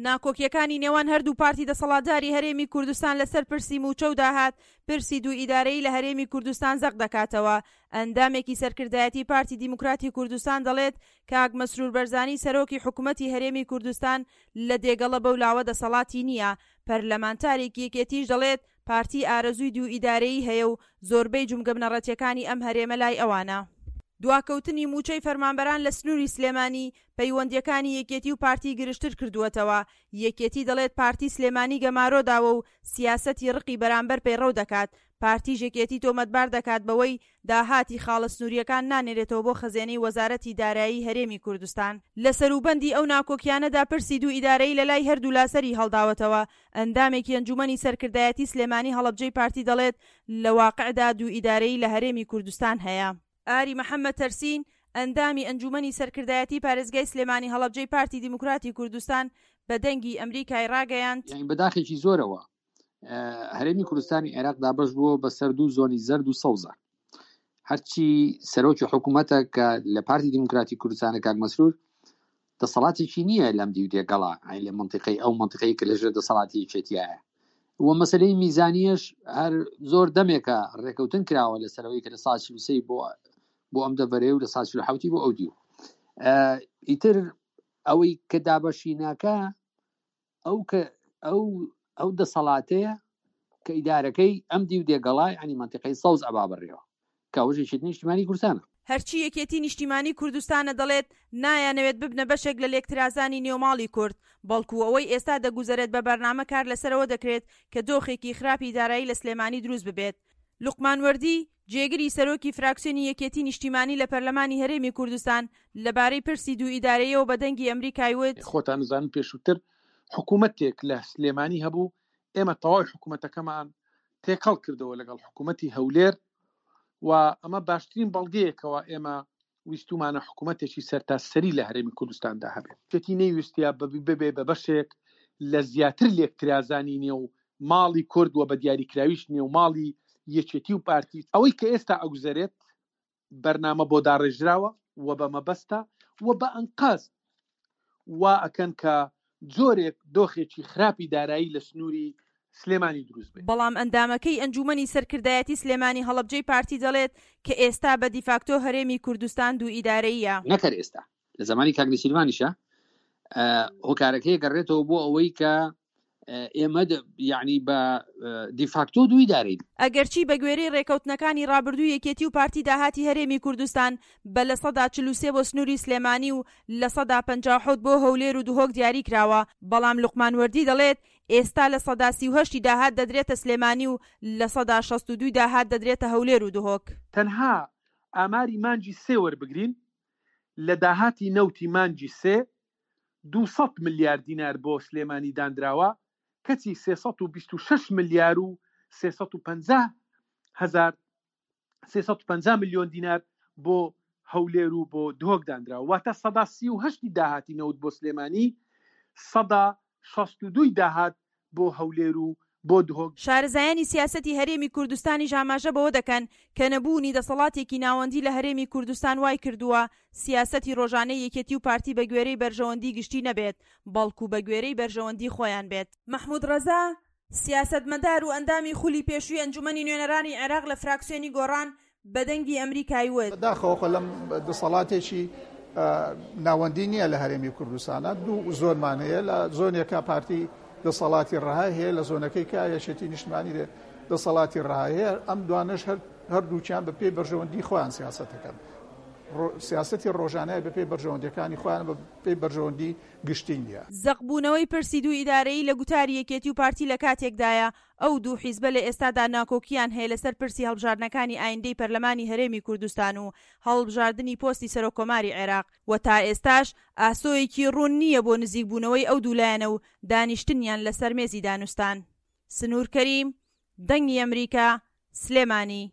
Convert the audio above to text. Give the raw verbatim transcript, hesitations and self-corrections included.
ناکۆکییەکانی نێوان هەردوو پارتی دەسەڵاتداری هەرێمی کوردستان لەسەر پرسی مووچە و داهات، پرسی دوو ئیدارەیی لە هەرێمی کوردستان زەق دەکاتەوە. ئەندامێکی سەرکردایەتی پارتی دیموکراتی کوردستان دەڵێت، کاک مەسرور بەرزانی سەرۆکی حکومەتی هەرێمی کوردستان لە دێگەڵە بەو لاوە دەسەڵاتی نییە. پەرلەمانتارێکی یەکێتیش دەڵێت، پارتی ئارەزووی دوو ئیدارەیی هەیە و زۆربەی جومگە بنەڕەتیەکانی ئەم هەرێمە لای ئەوانە. دواکەوتنی مووچەی فەرمانبەران لە سنووری سلێمانی، پەیوەندییەکانی یەکێتی و پارتی گرژتر کردووەتەوە. یەکێتی دەڵێت پارتی سلێمانی گەمارۆ داوە و سیاسەتی ڕقی بەرامبەر پەیڕەو دەکات. پارتیش یەکێتی تۆمەتبار دەکات بەوەی داهاتی خاڵە سنوورییەکان نانێرێتەوە بۆ خەزێنەی وەزارەتی دارایی هەرێمی کوردستان. لە سەروبەندی ئەو ناکۆکیانەدا پرسی دوو ئیدارەیی لەلای هەردوولا سەری هەڵداوەتەوە. ئەندامێکی ئەنجوومەنی سەرکردایەتی سلێمانی هەڵەبجەی پارتی دەڵێت لە واقعدا دوو ئیدارەیی لە هەرێمی کوردستان هەیە. ئاری محەمەد تەرسین، ئەندامی ئەنجوومەنی سەرکردایەتی پارێزگای سلێمانی هەڵەبجەی پارتی دیموکراتی کوردستان بە دەنگی ئەمریکای ڕاگەیاند، یانی بە داخێکی زۆرەوە هەرێمی کوردستانی عێراق دابەش بووە بەسەر دوو زۆنی زەرد و سەوزە. هەرچی سەرۆکی حکوومەتە کە لە پارتی دیموکراتی کوردستانە کاک مەسرور دەسەڵاتێکی نییە لەم دیو دێگەڵا، ئەی لە منطقەی ئەو منطقەی کە لەژێر دەسەڵاتی یەکێتیایە. و مەسلەی میزانیەش هەر زۆر دەمێکە ڕێکەوتن کراوە لەسەرەوەی کە لە ساڵ چل و سێ بۆ بۆ ئەم دەڤەرەیە و لە ساڵ چل و حەوتی بۆ ئەو دیو. ئیتر ئەوەی کە دابەشی ناکە ئەو کە ئەو ئەو دەسەڵاتەیە کە ئیدارەکەی ئەم دیو دێگەڵا، یعنی منطقەی سەوز ئەبا بڕێەوە کە ئەوەش یەکێتی نیشتیمانی کوردستانە. هەرچی یەکێتی نیشتیمانی کوردستانە دەڵێت نایانەوێت ببنە بەشێک لە لێکترازانی نێوماڵی کورد، بەڵکو ئەوەی ئێستا دەگوزەرێت بە بەرنامە کار لەسەرەوە دەکرێت کە دۆخێکی خراپی دارایی لە سلێمانی دروست ببێت. لوقمان وەردی، جێگری سەرۆکی فراکسیۆنی یەکێتی نیشتیمانی لە پەرلەمانی هەرێمی کوردستان لەبارەی پرسی دوو ئیدارەیەوە بە دەنگی ئەمریکای وت، خۆتان زانن پێشووتر حکوومەتێک لە سلێمانی هەبوو، ئێمە تەواوی حکوومەتەکەمان تێکەڵ کردەوە لەگەڵ حکوومەتی هەولێر و ئەمە باشترین بەڵگەیەکەوە ئێمە ویستومانە حکوومەتێکی سەرتاسەری لە هەرێمی کوردستاندا هەبێت. یەکێتی نەیویستیا ببێ بە بەشێک لە زیاتر لێکترازانی نێو ماڵی کورد و بە دیاریکراویش نێو ماڵی یەکێتی و پارتی. ئەوەی کە ئێستا ئەگوزەرێت بەرنامە بۆ داڕێژراوە و بە مەبەستە و بە ئەنقاست وا ئەکەن کە جۆرێک دۆخێکی خراپی دارایی لە سنووری سلێمانی دروست بێت. بەڵام ئەندامەکەی ئەنجومەنی سەرکردایەتی سلێمانی هەڵەبجەی پارتی دەڵێت کە ئێستا بە دیفاکتۆ هەرێمی کوردستان دوو ئیدارەییە. نەکەر ئێستا لە زمانی کاک نێچیرڤانیشە هۆکارەکەی گەڕێتەوە بۆ ئەوەی کە ئێمە یعنی بە دیفاکتۆ دوو ئیدارەین. ئەگەرچی بە گوێرەی ڕێکەوتنەکانی ڕابردوو یەکێتی و پارتی داهاتی هەرێمی کوردستان بە لە سەدا چل و سێ بۆ سنووری سلێمانی و لە سەدا پەنجا و حەوت بۆ هەولێر و دهۆک دیاری کراوە، بەڵام لوقمان وەردی دەڵێت ئێستا لە سەدا سی و هەشتی داهات دەدرێتە سلێمانی و لە سەدا شەست و دووی داهات دەدرێتە هەولێر و دهۆک. تەنها ئاماری مانگی سێ وەربگرین، لە داهاتی نەوتی مانگی سێ دوو سەد ملیار دینار بۆ سلێمانی دانراوە، کەچی سێ سەد و بیست و شەش ملیار و سێ سەد و پەنجا هەزار سێ سەد و پەنجا ملیۆن دینار بۆ هەولێر و بۆ دهۆک دانراوە. واتە سەدا سی و هەشتی داهاتی نەوت بۆ سلێمانی، سەدا شەست و دووی داهات بۆ هەولێر و بۆ دهۆک. شارەزایانی سیاسەتی هەرێمی کوردستانیش ئاماژە بەوە دەکەن کە نەبوونی دەسەڵاتێکی ناوەندی لە هەرێمی کوردستان وای کردووە سیاسەتی ڕۆژانەی یەکێتی و پارتی بە گوێرەی بەرژەوەندی گشتی نەبێت، بەڵکو بە گوێرەی بەرژەوەندی خۆیان بێت. مەحمود ڕەزا، سیاسەتمەدار و ئەندامی خولی پێشووی ئەنجومەنی نوێنەرانی عێراق لە فراکسیۆنی گۆڕان بە دەنگی ئەمریکای وت، بەداخەوە خۆ لەم دەسەڵاتێکی ناوەندی نییە لە هەرێمی کوردستانە، دوو زۆنمان هەیە، لە زۆنێکە پارتی دەسەڵاتی ڕەهای هەیە، لە زۆنەکەی کە یەکێتی نیشتمانی دەسەڵاتی ڕەهای هەیە. ئەم دوانەش هەردووکیان بە پێی بەرژەوەندی خۆیان سیاسەتەکەن، سیاسەتی ڕۆژانەیە بە پێی بەرژەوەندیەکانی خۆیان، بە پێی بەرژەوەندی گشتی نییە. زەقبوونەوەی پرسی دوو ئیدارەیی لە گوتاری یەکێتی و پارتی لە کاتێکدایە ئەو دوو حیزبە لە ئێستادا ناکۆکیان هەیە لەسەر پرسی هەڵبژاردنەکانی ئایندەی پەرلەمانی هەرێمی کوردستان و هەڵبژاردنی پۆستی سەرۆککۆماری عێراق و تا ئێستاش ئاسۆیەکی ڕوون نییە بۆ نزیکبوونەوەی ئەو دوو لایەنە و دانیشتنیان لەسەر مێزی دانوستان. سنوور کەریم، دەنگی ئەمریکا، سلێمانی.